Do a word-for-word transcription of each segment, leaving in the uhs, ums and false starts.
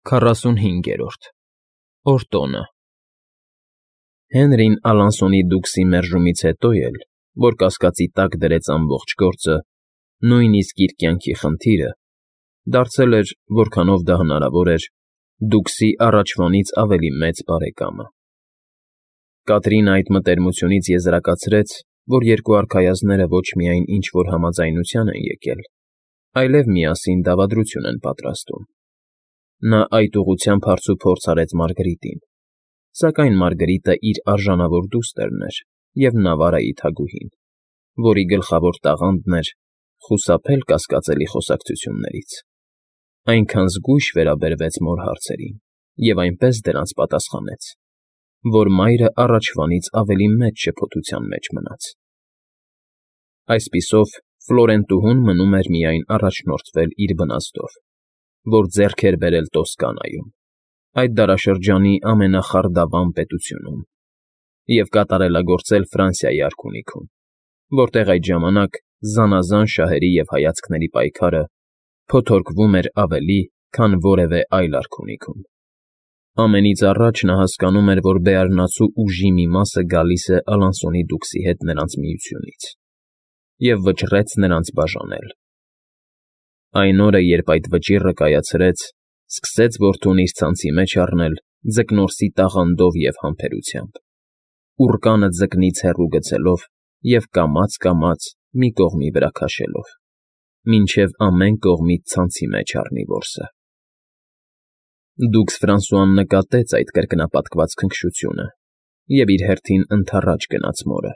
Քառասունհինգերորդ Օրտոնը Հենրին Ալանսոնի դուքսի մերժումից հետո էլ, որ կասկածի տակ դրեց ամբողջ գործը, նույնիսկ իր կյանքի խնդիրը, դարձել էր, որքանով դա հնարավոր էր, դուքսի առաջվանից ավելի մեծ բարեկամը։ Կատրինը այդ մտերմությունից եզրակացրեց, որ երկու արքայազնները ոչ միայն ինչ֊որ համաձայնության են եկել, այլև միասին դավադրություն են պատրաստում։ Նա այդ ուղղությամբ հարցուփորձ արեց Մարգրիտին, սակայն Մարգրիտը իր արժանավոր դուստրն էր և Նավարայի թագուհին, որի գլխավոր տաղանդն էր խուսափել կասկածելի խոսակցություններից։ Այնքան զգույշ վերաբերվեց մոր հարցերին և այնպես դրանց պատասխանեց, որ մայրը առաջվանից ավելի մեծ շփոթության մեջ մնաց։ Այսպիսով, Ֆլորենտուհուն մնում էր միայն առաջնորդվել իր բնաստով, որ ձեռք էր բերել Տոսկանայում, այդ դարաշրջանի ամենախարդավան պետությունում, և կատարելագործել Ֆրանսիայի արքունիքում, որտեղ այդ ժամանակ զանազան շահերի և հայացքների պայքարը փոթորկվում էր ավելի, քան որևէ այլ արքունիքում։ Ամենից առաջ նա հասկանում էր, որ բեարնացու ուժի մի մասը գալիս է Ալանսոնի դուքսի հետ նրանց միությունից, և վճռեց նրանց բաժանել։ Այն օրը, երբ այդ վճիռը կայացրեց, սկսեց որդուն իր ցանցի մեջ առնել ձկնորսի տաղանդով և համբերությամբ, ուռկանը ձկնից հեռու գցելով և կամաց֊կամաց մի կողմի վրա քաշելով, մինչև ամեն կողմից ցանցի մեջ առնի որսը։ Դուքս Ֆրանսուան նկատեց այդ կրկնապատկված քնքշությունը և իր հերթին ընդառաջ գնաց մորը,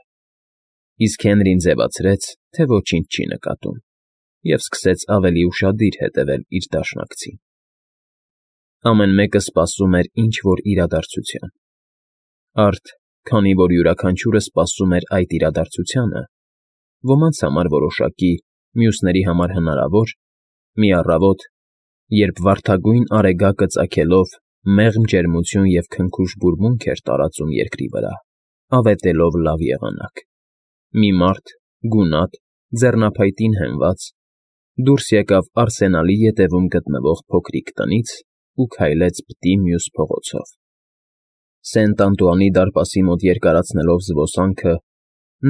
իսկ Հենրին ձևացրեց, թե ոչինչ չի նկատում, և սկսեց ավելի ուշադիր հետևել իր դաշնակցին։ Ամեն մեկը սպասում էր ինչ֊որ իրադարձության։ Արդ, քանի որ յուրաքանչյուրը սպասում էր այդ իրադարձությանը, ոմանց համար որոշակի, մյուսների համար հնարավոր, մի առավոտ, երբ վարդագույն արեգակը ծագելով մեղմ ջերմություն և քնքուշ բուրմունք էր տարածում երկրի վրա, ավետելով լավ եղանակ, մի մարդ, գունատ, ձեռնափայտին հենված, դուրս եկավ Արսենալի ետևում գտնվող փոքրիկ տնից ու քայլեց բտի մյուս փողոցով։ Սենտ Անտուանի դարպասի մոտ երկարացնելով զբոսանքը,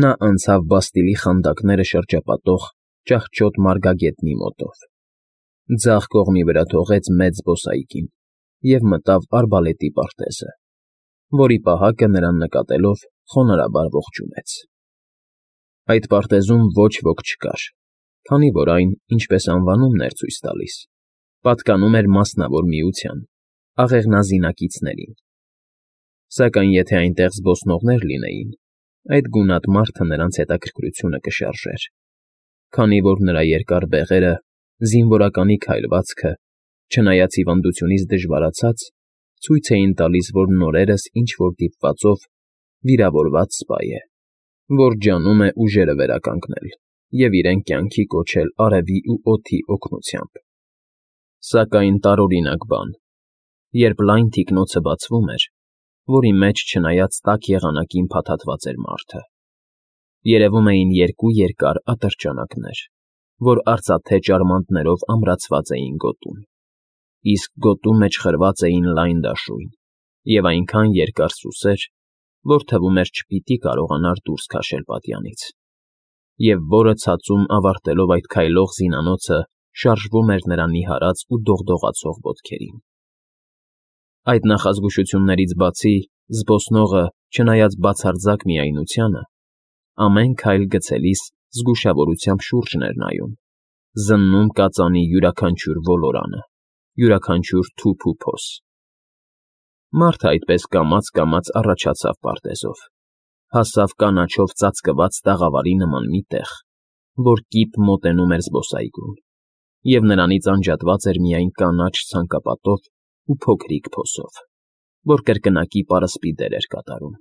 նա անցավ Բաստիլի խանդակները շրջապատող ճահճոտ մարգագետնի մոտով, ձախ կողմի վրա թողեց մեծ զբոսայգին և մտավ արբալետի պարտեզը, որի պահակը նրան նկատելով խոնարհաբար ողջունեց։ Այդ պարտեզում ոչ ոք չկար, քանի որ այն, ինչպես անվանումն էր ցույց տալիս, պատկանում էր մասնավոր միության, աղեղնազինակիցներին։ Սակայն եթե այնտեղ զբոսնողներ լինեին, այդ գունատ մարդը նրանց հետաքրքրությունը կշարժեր, քանի որ նրա երկար բեղերը, զինվորականի քայլվածքը, չնայած հիվանդությունից դժվարացած, ցույց էին տալիս, որ նորերս ինչ֊որ դիպվածով վիրավորված սպա է, որ ջանում է ուժերը վերականգնել և իրեն կյանքի կոչել արևի ու օդի օգնությամբ։ Սակայն տարօրինակ բան, երբ լայն թիկնոցը բացվում էր, որի մեջ չնայած տաք եղանակին փաթաթված էր մարդը, երևում էին երկու երկար ատրճանակներ, որ արծաթե ճարմանտներով ամրացված էին գոտում, իսկ գոտու մեջ խրված էին լայն դաշույն և այնքան երկար սուսեր, որ թվում էր չպիտի կարողանար դուրս քաշել պատյանից, և որը ցածում ավարտելով այդ քայլող զինանոցը շարժվում էր նրա նիհարած ու դողդողացող ոտքերին։ Այդ նախազգուշություններից բացի, զբոսնողը, չնայած բացարձակ միայնությանը, ամեն քայլ գցելիս զգուշավորությամբ շուրջն էր նայում, զննում կածանի յուրաքանչյուր ոլորանը, յուրաքանչյուր թուփ ու փոս։ Մարդը այդպես կամաց֊կամաց առաջացավ պարտեզով, հասավ կանաչով ծածկված տաղավարի նման մի տեղ, որ կիպ մոտենում էր զբոսայգուն, և նրանից անջատված էր միայն կանաչ ցանկապատով ու փոքրիկ փոսով, որ կրկնակի պարսպի դեր էր կատարում։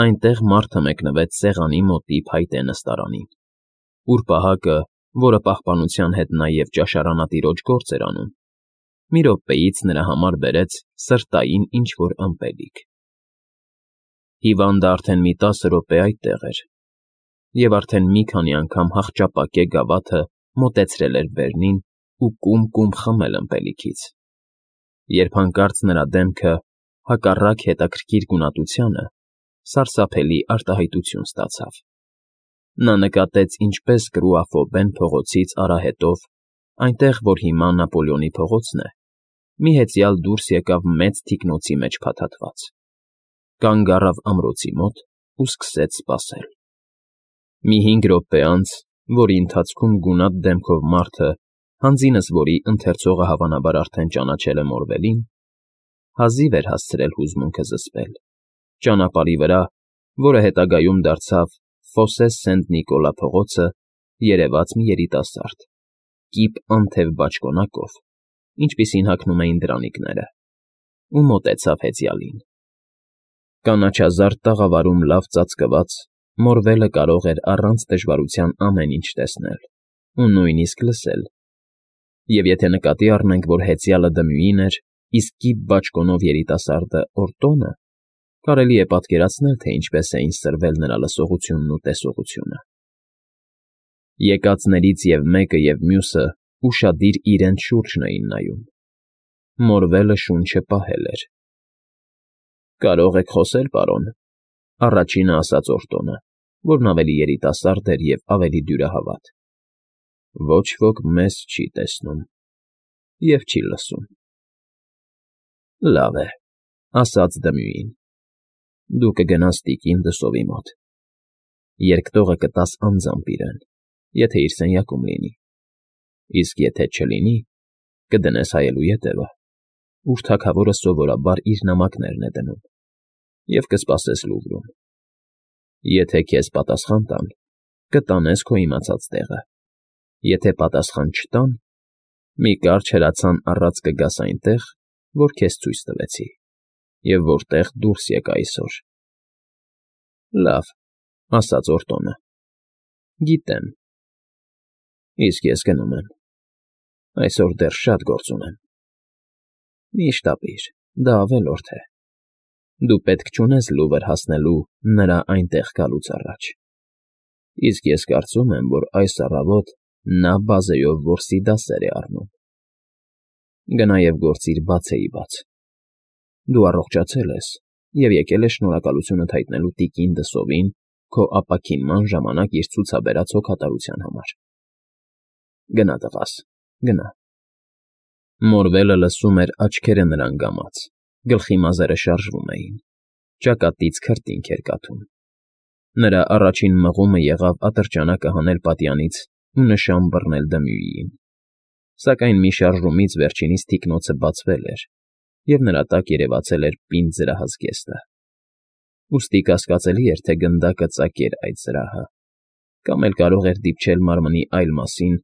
Այնտեղ մարդը մեկնվեց սեղանի մոտի փայտե նստարանին, ուր պահակը, որը պահպանության հետ նաև ճաշարանատիրոջ գործ էր անում, մի րոպեից նրա համար բերեց սրտային ինչ֊որ ըմպելիք։ Հիվանդը արդեն մի տասը րոպե այդտեղ էր, և արդեն մի քանի անգամ հախճապակե գավաթը մոտեցրել էր վերնին ու կում֊կում խմել ըմպելիքից, երբ հանկարծ նրա դեմքը, հակառակ հետաքրքիր գունատությանը, սարսափելի արտահայտություն ստացավ. նա նկատեց, ինչպես կրուախոբեն փողոցից արահետով, այնտեղ, որ հիմա Նապոլեոնի փողոցն է, մի հեծյալ դուրս եկավ մեծ թիկնոցի մեջ փաթաթված, կանգ առավ ամրոցի մոտ ու սկսեց սպասել։ Մի հինգ րոպե անց, որի ընթացքում գունատ դեմքով մարդը, հանձինս որի ընթերցողը հավանաբար արդեն ճանաչել է Մորվելին, հազիվ էր հասցրել հուզմունքը զսպել, ճանապարհի վրա, որը հետագայում դարձավ Ֆոսե Սենտ Նիկոլա փողոցը, երևաց մի երիտասարդ, կիպ անթև բաճկոնակով, ինչպիսին հագնում էին դրանիկները, ու մոտեցավ հեծյալին։ Կանաչազարդ տաղավարում լավ ծածկված, Մորվելը կարող էր առանց դժվարության ամեն ինչ տեսնել ու նույնիսկ լսել, և եթե նկատի առնենք, որ հեծյալը Դմյուին էր, իսկ կիպ բաճկոնով երիտասարդը Օրտոնը, կարելի է պատկերացնել, թե ինչպես էին սրվել նրա լսողությունն ու տեսողությունը։ Եկածներից և մեկը, և մյուսը ուշադիր իրենց շուրջն էին նայում։ Մորվելը շունչը պահել էր։ «Կարող եք խոսել, պարոն,֊ առաջինը ասաց Օրտոնը, որն ավելի երիտասարդ էր և ավելի դյուրահավատ։ Ոչ ոք մեզ չի տեսնում և չի լսում»։ «Լավ է,֊ ասաց Դմյուին,֊ դու կգնաս տիկին Դսովի մոտ, երկտողը կտաս անձամբ իրեն, եթե իր սենյակում լինի, իսկ եթե չլինի, կդնես հայելու ետևը, ուր թագավորը սովորաբար իր նամակներն է դնում, և կսպասես Լուվրում։ Եթե քեզ պատասխան տան, կտանես քո իմացած տեղը, եթե պատասխան չտան, մի կարճ հրացան առած կգաս այնտեղ, որ քեզ ցույց տվեցի, և որտեղ դուրս եկա այսօր»։ «Լավ,֊ ասաց Օրտոնը,֊ գիտեմ։ Իսկ ես գնում եմ, այսօր դեռ շատ գործ ունեմ»։ «Մի՛ շտապիր, դա ավելորդ է։ Դու պետք չունես Լուվր հասնելու նրա այնտեղ գալուց առաջ, իսկ ես կարծում եմ, որ այս առավոտ նա բազեով որսի դասեր է առնում։ Գնա և գործիր բացեիբաց։ Դու առողջացել ես և եկել ես շնորհակալությունդ հայտնելու տիկին Դսովին քո ապաքինման ժամանակ իր ցուցաբերած հոգատարության համար։ Գնա, տղաս, գնա»։ Մորվելը լսում էր աչքերը նրան գամած, գլխի մազերը շարժվում էին, ճակատից քրտինք էր կաթում։ Նրա առաջին մղումը եղավ ատրճանակը հանել պատյանից ու նշան բռնել Դմյուիին, սակայն մի շարժումից վերջինիս թիկնոցը բացվել էր, և նրա տակ երևացել էր պինդ զրահազգեստը։ Ուստի կասկածելի էր, թե գնդակը ծակեր այդ զրահը, կամ էլ կարող էր դիպչել մարմնի այլ մասին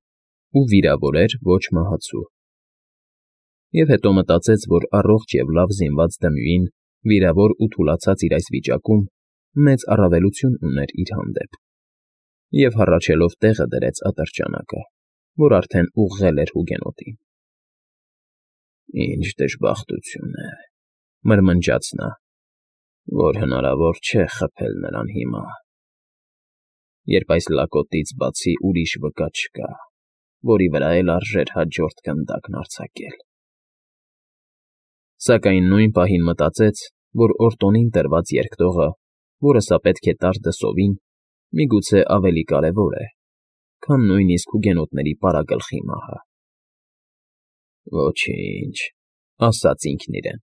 ու վիրավորեր ոչ մահացու։ Եվ հետո մտածեց, որ առողջ և լավ զինված Դմյուին, վիրավոր ու թուլացած իր այս վիճակում, մեծ առավելություն ուներ իր հանդեպ, և հառաչելով տեղը դրեց ատրճանակը, որ արդեն ուղղել էր Հուգենոտին։ «Ինչ դժբախտություն է,֊ մրմնջաց նա,֊ որ հնարավոր չէ խփել նրան հիմա, երբ այս լակոտից բացի ուրիշ վկա չկա, որի վրա էլ արժեր հաջորդ գնդակն արձակել»։ Սակայն նույն պահին մտածեց, որ Օրտոնին տրված երկտողը, որը սա պետք է տար Դսովին, միգուցե ավելի կարևոր է, քան նույնիսկ հուգենոտների պարագլխի մահը։ «Ոչինչ,֊ ասաց ինքն իրեն,֊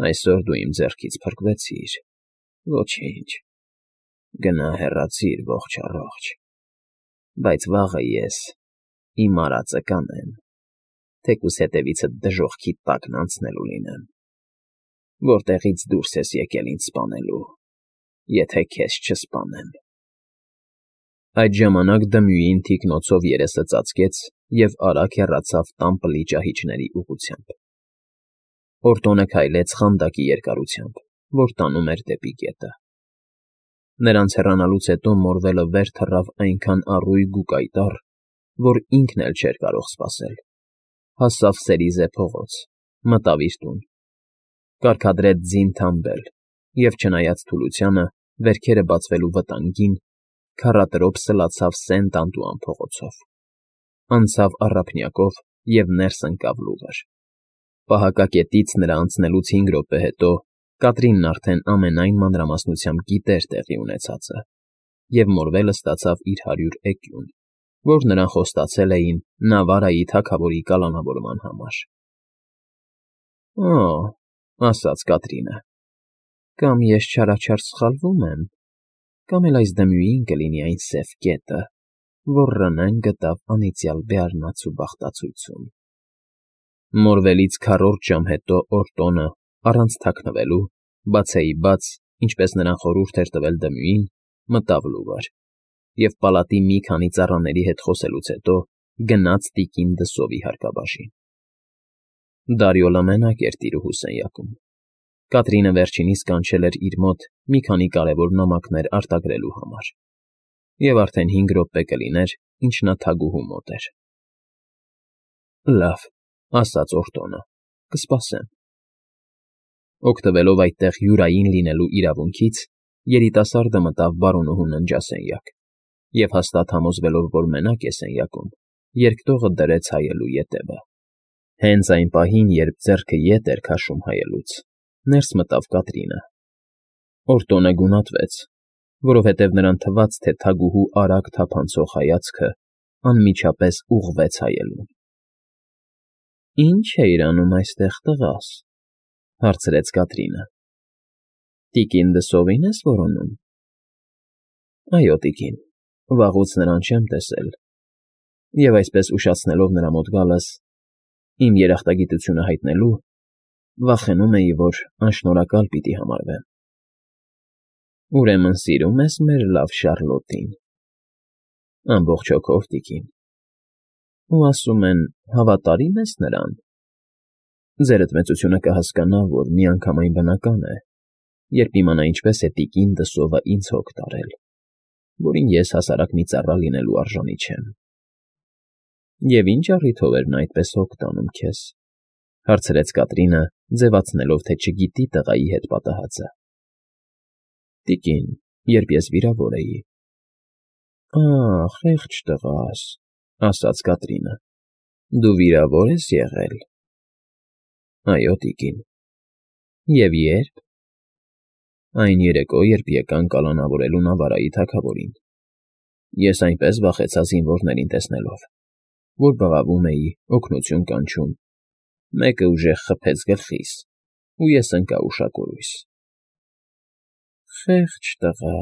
այսօր դու իմ ձեռքից փրկվեցիր, ոչինչ, գնա հեռացիր ողջ առողջ, բայց վաղը ես իմ արածը կանեմ, թեկուզ հետևիցդ դժոխքի տակն անցնելու լինեմ, որտեղից դուրս ես եկել ինձ սպանելու, եթե քեզ չսպանեմ»։ Այդ ժամանակ Դմյուին թիկնոցով երեսը ծածկեց և արագ հեռացավ տան պլի-ճահիճների ուղղությամբ։ Օրտոնը քայլեց խանդակի երկարությամբ, որ տանում էր դեպի գետը։ Նրանց հեռանալուց հետո Մորվելը վեր թռավ այնքան առույգ ու կայտառ, որ ինքն էլ չէր կարող սպասել, հասավ Սերիզե փողոց, մտավ իր տուն, կարգադրեց ձին թամբել և, չնայած թուլությանը, վերքերը բացվելու վտանգին, քառատրոփ սլացավ Սենտ Անտուան փողոցով, անցավ Առափնյակով և ներս ընկավ Լուվր։ Պահակակետից նրա անցնելուց հինգ րոպե հետո Կատրինն արդեն ամենայն մանրամասնությամբ գիտեր տեղի ունեցածը և մորվելը ստացավ իր հարյուր էկյուն, որ նրան խոստացել էին Նավարայի թագավորի կալանավորման համար։ ֊ Օ՜, ֊ ասաց Կատրինը, ֊ կամ ես չարաչար սխալվում եմ, կամ էլ այս դմույին կլինի այն սև կետը, որ Ռնեն գտավ անիծյալ բեառնացու բախտացույցում։ Մորվելից քառորդ ժամ հետո Օրտոնը, առանց թաքնվելու, բացեի բաց, ինչպես նրան խորհուրդ էր տվել Դմյուին, մտավ լուվար և պալատի մի քանի ծառաների հետ խոսելուց հետո գնաց տիկին Դսովի հարկաբաժին։ Դարիոլը մենակ էր տիրուհու սենյակում։ Կատրինը վերջինիս կանչել էր իր մոտ մի քանի կարևոր նամակներ արտագրելու համար, և արդեն հինգ րոպե կլիներ, ինչ նա թագուհու մոտ էր։ ֊ Լավ, ֊ ասաց Օրտոնը, ֊ կսպասեմ։ Օգտվելով այդտեղ յուրային լինելու իրավունքից, երիտասարդը մտավ բարոնուհու ննջասենյակ և, հաստատ համոզվելով, որ մենակ է սենյակում, երկտողը դրեց հայելու ետևը։ Հենց այն պահին, երբ ձեռքը ետ էր քաշում հայելուց, ներս մտավ Կատրինը։ Օրտոնը գունատվեց, որովհետև նրան թվաց, թե թագուհու արագ թափանցող հայացքը անմիջապես ուղղվեց հայելուն։ ֊ Ի՞նչ էիր անում այստեղ, տղաս, ֊ հարցրեց Կատրինը։ ֊ Տիկին Դսովի՞ն ես որոնում։ ֊ Այո, տիկին, վաղուց նրան չեմ տեսել, և այսպես ուշացնելով նրա մոտ գալս, իմ երախտագիտությունը հայտնելու, վախենում էի, որ անշնորհակալ պիտի համարվեմ։ ֊ Ուրեմն սիրում ես մեր լավ Շառլոտին։ ֊ Ամբողջ հոգով, տիկին։ ֊ Ու ասում են, հավատարի՞մ ես նրան։ ֊ Ձերդ մեծությունը կհասկանա, որ միանգամայն բնական է, երբ իմանա ինչպես է տիկին Դսովը ինձ հոգ տարել, որին ես հասարակ մի ծառա լինելու արժանի չեմ։ ֊ Եվ ի՞նչ առիթով էր նա այդպես հոգ տանում քեզ, ֊ հարցրեց Կատրինը, ձևացնելով, թե չգիտի տղայի հետ պատահածը։ ֊ Տիկին, երբ ես վիրավոր էի։ ֊ Ա՜, խեղճ տղաս, ֊ ասաց Կատրինը, ֊ դու վիրավոր ես եղել։ ֊ Այո, տիկին։ ֊ Եվ ե՞րբ։ ֊ Այն երեկո, երբ եկան կալանավորելու Նավարայի թագավորին։ Ես այնպես վախեցա զինվորներին տեսնելով, որ բղավում էի, օգնություն կանչում, մեկը ուժեղ խփեց գլխիս, ու ես ընկա ուշակորույս։ ֊ Խեղճ տղա։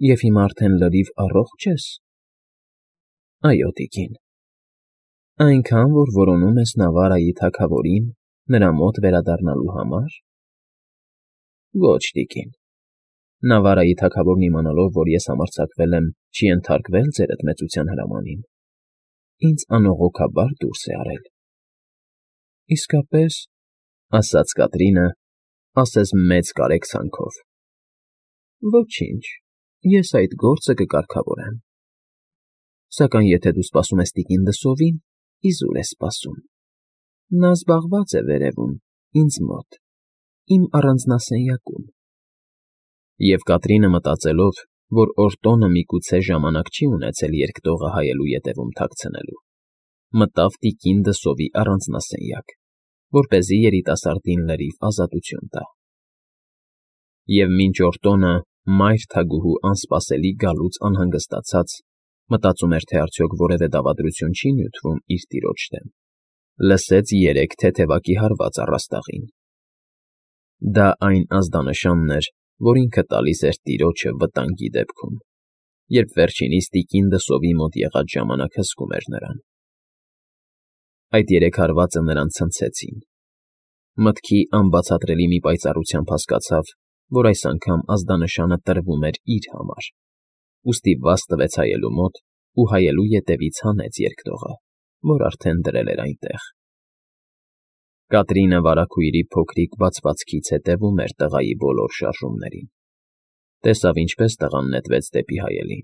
Եվ հիմա արդեն լրիվ առողջ ես։ ֊ Այո, տիկին։ ֊ Այնքան, որ որոնում ես Նավարայի թագավորին նրա մոտ վերադառնալու համար։ ֊ Ոչ, տիկին։ Նավարայի թագավորն իմանալով, որ ես համարձակվել եմ չի ենթարկվել ձերդ մեծության հրամանին, ինձ անողոքաբար դուրս է արել։ ֊ Իսկապես, ֊ ասաց Կատրինը, ասես մեծ կարեկցանքով։ ֊ Ոչինչ, ես այդ գործը կկարգավորեմ։ Սակայն եթե դու սպասում ես տիկին Դսովին, իզուր ես սպասում։ Նա զբաղված է վերևում, ինձ մոտ, իմ առանձնասենյակում։ Եվ Կատրինը, մտածելով, որ Օրտոնը միգուցե ժամանակ չի ունեցել երկտողը հայելու ետևում թաքցնելու, մտավ տիկին Դսովի առանձնասենյակ, որպեսզի երիտասարդին լրիվ ազատություն տա։ Եվ մինչ Օրտոնը, մայր թագուհու անսպասելի գալուց անհանգստացած, մտածում էր, թե արդյոք որևէ դավադրություն չի նյութվում իր տիրոջ դեմ, լսեց երեք թեթևակի հարված առաստաղին։ Դա այն ազդանշանն էր, որ ինքը տալիս էր տիրոջը վտանգի դեպքում, երբ վերջինիս տիկին Դսովի մոտ եղած ժամանակ հսկում էր նրան։ Այդ երեք հարվածը նրան ցնցեցին։ Մտքի անբացատրելի մի պայծառությամբ հասկացավ, որ այս անգամ ազդանշանը տրվում էր իր համար, ուստի վազ տվեց հայելու մոտ ու հայելու ետևից հանեց երկտողը, որ արդեն դրել էր այնտեղ։ Կատրինը վարագույրի փոքրիկ բացվածքից հետևում էր տղայի բոլոր շարժումներին, տեսավ ինչպես տղան նետվեց դեպի հայելին,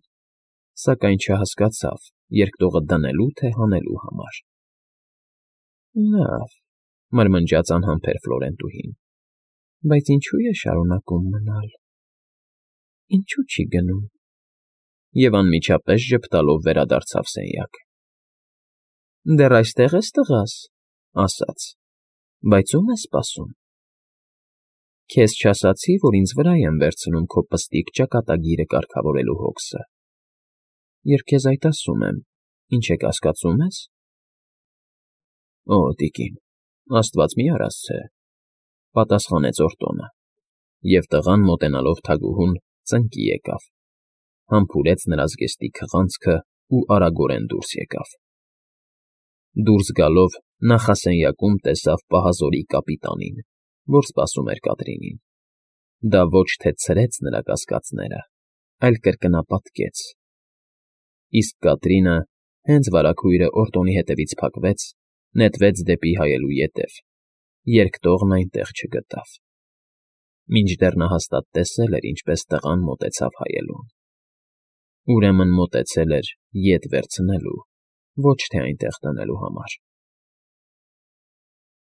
սակայն չհասկացավ երկտողը դնելու թե հանելու համար։ ֊ Լավ, ֊ մրմնջաց անհամբեր Ֆլորենտուհին, ֊ բայց ինչո՞ւ է շարունակում մնալ։ Ինչո՞ւ չի գնում։ Եվ անմիջապես ժպտալով վերադարձավ սենյակ։ ֊ Դեռ այստե՞ղ ես, տղաս, ֊ ասաց։ Բայց ո՞ւմ ես սպասում։ Քեզ չասացի, որ ինձ վրա եմ վերցնում քո պստիկ ճակատագիրը կարգավորելու հոգսը։ Երբ քեզ այդ ասում եմ, ինչ է կասկածում ես։ Օ, տիկին, աստված մի արասցե,֊ պատասխանեց Օրտոնը, և տղան, մոտենալով թագուհուն, ծնկի եկավ, համբուրեց նրա զգեստի քղանցքն ու արագորեն դուրս եկավ։ Դուրս գալով նախասենյակում տեսավ պահազորի կապիտանին, որ սպասում էր Կատրինին։ Դա ոչ թե ցրեց նրա կասկածները, այլ կրկնապատկեց։ Իսկ Կատրինը, հենց վարագույրը Օրտոնի հետևից փակվեց, նետվեց դեպի հայելու ետև, երկտողն այնտեղ չգտավ։ Մինչդեռ նա հաստատ տեսել էր, ինչպես տղան մոտեցավ հայելուն։ Ուրեմն մոտեցել էր ետ վերցնելու, ոչ թե այնտեղ դնելու համար։